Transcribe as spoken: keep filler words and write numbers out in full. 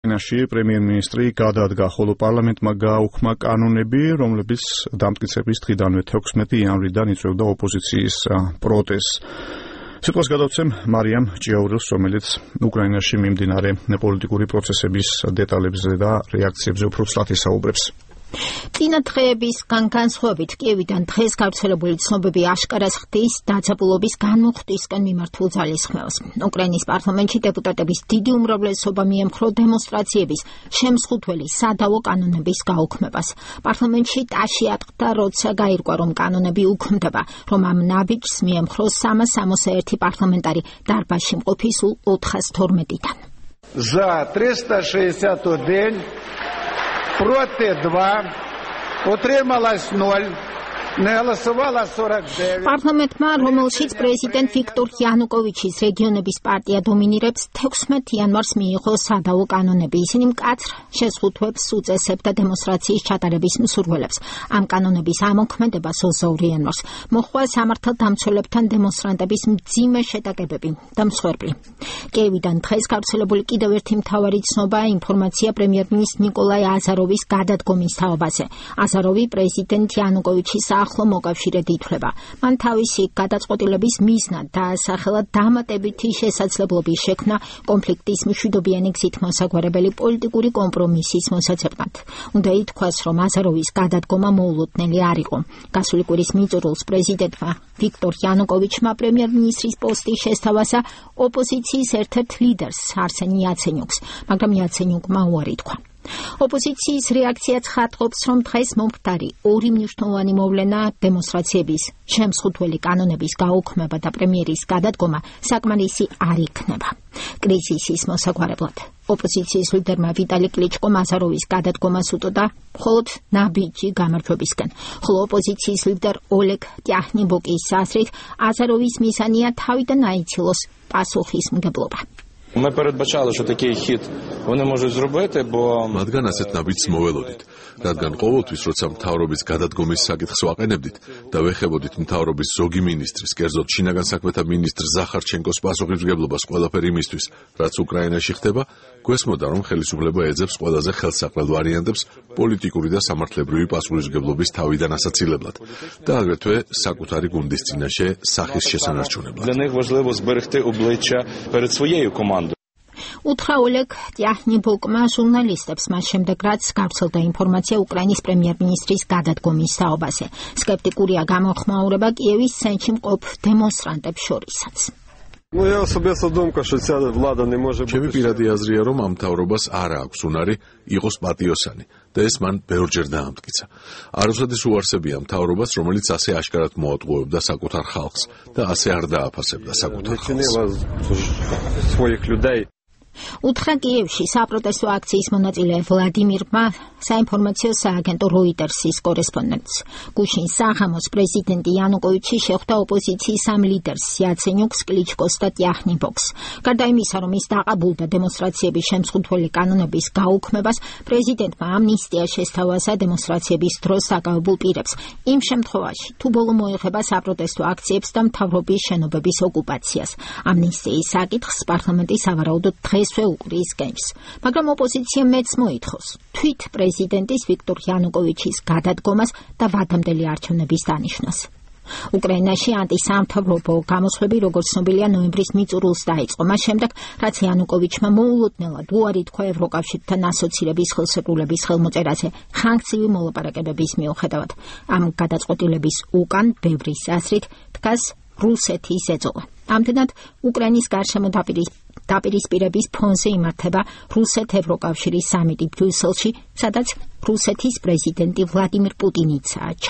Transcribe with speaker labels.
Speaker 1: ნაში პრემიერ-მინისტრი გადადგა, ხოლო პარლამენტმა გააუქმა კანონები, რომლებიც დამტკიცების დღიდანვე თექვსმეტი იანვრიდან იწვევდა ოპოზიციის პროტესტს. სიტყვას გადავცემ მარიამ ჭიაურელს, რომელიც უკრაინაში მიმდინარე პოლიტიკური პროცესების დეტალებზე და რეაქციებზე უფრო ცლად ისაუბრებს.
Speaker 2: წინა დღეებისგან განსხვავებით კიევიდან დღეს გავრცელებული ცნობები აშკარას ხდის დაძაბულობის განმუხტვისკენ მიმართულ ძალისხმევას. უკრაინის პარლამენტში დეპუტატების დიდი უმრავლესობა მიემხრო დემონსტრაციების შემსხუთველი სადავო კანონების გაუქმებას. პარლამენტში ტაში ატყდა, როცა გაირკვა, რომ კანონები უქმდება, რომ ამ ნაბიჯს მიემხრო სამას სამოცდაერთი პარლამენტარი დარბაზში მყოფი სულ ოთხას თორმეტიდან.
Speaker 3: За триста шестьдесят один проти два, утрималось ноль, не голосовало сорок девять.
Speaker 2: პარლამენტმა, რომელშიც პრეზიდენტ ვიქტორ იანუკოვიჩის რეგიონების პარტია დომინირებს, თექვსმეტ იანვარს მიიღო სადავო კანონები. ისინი მკაცრ შეზღუდვებს უწესებდა დემონსტრაციის ჩატარების მსურველებს. ამ კანონების ამოქმედებას ოცდაორი იანვარს მოჰყვა სამართალდამცველებთან დემონსტრანტების მძიმე შეტაკებები და მსხვერპლი. კიევიდან დღეს გავრცელებული კიდევ ერთი მთავარი ცნობა ინფორმაცია პრემიერ-მინისტრის ნიკოლაი აზაროვის გადადგომის თაობაზე. აზაროვი პრეზიდენტ იანუკოვიჩის ახლო მოკავშირედ ითვლება. მან თავისი გადაწყვეტილების მიზნად დაასახელა დამატებითი შესაძლებლობის შექმნა კონფლიქტის მშვიდობიანი გზით მოსაგვარებელი პოლიტიკური კომპრომისის მოსაცემად. უნდა ითქვას, რომ აზაროვის გადადგომა მოულოდნელი არ იყო. გასული კვირის მიწურულს პრეზიდენტმა ვიქტორ იანუკოვიჩმა პრემიერ-მინისტრის პოსტის შესთავაზა ოპოზიციის ერთ-ერთ ლიდერს არსენ იაცენიუკს, მაგრამ იაცენიუკმა უარი თქვა. ოპოზიციის რეაქციაც ხატყობს, რომ დღეს მომხდარი ორი მნიშვნელოვანი მოვლენა დემონსტრაციების შემსხუთველი კანონების გაუქმება და პრემიერის გადადგომა საკმარისი არ იქნება. კრიზისის მოსაგვარებლად ოპოზიციის ლიდერმა ვიტალი კლიჩკომ აზაროვის გადადგომას უტოდა მხოლოდ ნაბიჯი გამარჯვებისკენ, ხოლო ოპოზიციის ლიდერ ოლეგ ტიაჰნიბოკის აზრით აზაროვის მიზანია თავიდან აიცილოს პასუხისმგებლობა.
Speaker 4: Ми передбачали, що такий хід вони можуть зробити, бо
Speaker 5: მათგან ასეთ ნაბიჯს მოველოდით, რადგან ყოველთვის, როცა მთავრობის გადადგომის საკითხს ვაყენებდით და ვეხებოდით მთავრობის ზოგი მინისტრის, კერძოდ შინაგან საქმეთა მინისტრ ზახარჩენკოს პასუხისმგებლობას ყველაფერ იმისთვის, რაც უკრაინაში ხდება, გვესმოდა, რომ ხელისუფლება ეძებს ყველაზე ხელსაყრელ ვარიანტებს პოლიტიკური და სამართლებრივი პასუხისმგებლობის თავიდან ასაცილებლად და აგრეთვე საკუთარი გუნდის წინაშე სახის შესანარჩუნებლად.
Speaker 4: Для них важливо зберегти обличчя перед своєю командою.
Speaker 2: უთხრა ოლეგ ტიაჰნიბოკმა ჟურნალისტებს მას შემდეგ, რაც გავრცელდა ინფორმაცია უკრაინის პრემიერ-მინისტრის გადადგომის თაობაზე. სკეპტიკურია გამოხმაურება კიევის ცენტრში მყოფ დემონსტრანტებს შორისაც.
Speaker 6: Ну я особисто думка, що ця влада не може бути.
Speaker 5: ჩემი პირადი აზრია, რომ ამ მთავრობას არ აქვს უნარი იყოს პატიოსანი და ეს მან ბევრჯერ დაამტკიცა. არასოდეს უარსებია მთავრობას, რომელიც ასე აშკარად მოატყუებდა საკუთარ ხალხს და ასე არ დააფასებდა საკუთარ ხალხს.
Speaker 2: უთხრა კიევში საპროტესტო აქციის მონაწილე ვლადიმირმა საინფორმაციო სააგენტო როიტერსის კორესპონდენტს. გუშინ საღამოს პრეზიდენტი იანუკოვიჩი შეხვდა ოპოზიციის ამ ლიდერს იაცენიუკს, კლიჩკოს და ტიაჰნიბოკს. გარდა იმისა, რომ ის დაყაბულდა დემონსტრაციების შემსხუთველი კანონების გაუქმებას, პრეზიდენტმა ამნისტია შესთავაზა დემონსტრაციების დროს დაკავებულ პირებს. იმ შემთხვევაში, თუ ბოლო მოეხება საპროტესტო აქციებს და მთავრობის შენობების ოკუპაციას. ამნისტიის საკითხს პარლამენტი სავარაუდოდ დღესვე უყრის გემს. მაგრამ ოპოზიცია მეც მოითხოვს თვით პრეზიდენტის ვიქტორ იანუკოვიჩის გადადგომას და ვადამდელი არჩევნების დანიშვნას. უკრაინაში ანტისამთავრობო გამოსვლები, როგორც ცნობილია, ნოემბრის მიწურულს დაიწყო. მას შემდეგ, რაც იანუკოვიჩმა მოულოდნელად უარი თქვა ევროკავშირთან ასოცირების ხელშეკრულების ხელმოწერაზე ხანგრძლივი მოლაპარაკებების მიუხედავად. ამ გადაწყვეტილების უკან ბევრის აზრით დგას რუსეთის ეწოლა. ამდენად უკრაინის გარშემო დაპირისპირების ფონზე იმართება რუსეთ-ევროკავშირის სამიტი ბრიუსელში, სადაც რუსეთის პრეზიდენტი ვლადიმირ პუტინიცაა.